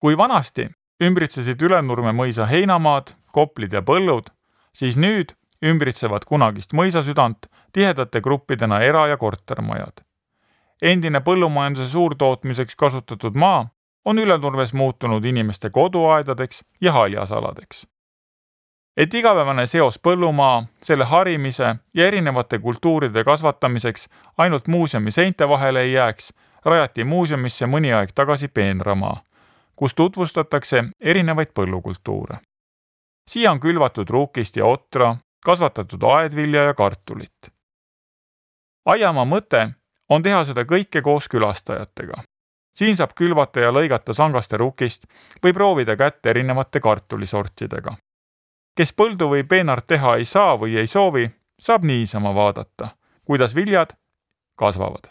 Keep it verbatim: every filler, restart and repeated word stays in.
Kui vanasti ümbritsesid Ülenurme mõisa heinamaad, koplid ja põllud, siis nüüd ümbritsevad kunagist mõisasüdant tihedate gruppidena era- ja kortermajad. Endine põllumajanduse suurtootmiseks kasutatud maa on Ülenurmes muutunud inimeste koduaedadeks ja haljasaladeks. Et igapäevane seos põllumaa, selle harimise ja erinevate kultuuride kasvatamiseks ainult muuseumi seinte vahele ei jääks, rajati muuseumisse mõni aeg tagasi peenramaa, kus tutvustatakse erinevaid põllukultuure. Siia on külvatud ruukist ja otra, kasvatatud aedvilja ja kartulit. Aiamaa mõte on teha seda kõike koos külastajatega. Siin saab külvata ja lõigata sangaste rukist või proovida kätt erinevate kartulisortidega. Kes põldu või peenart teha ei saa või ei soovi, saab niisama vaadata, kuidas viljad kasvavad.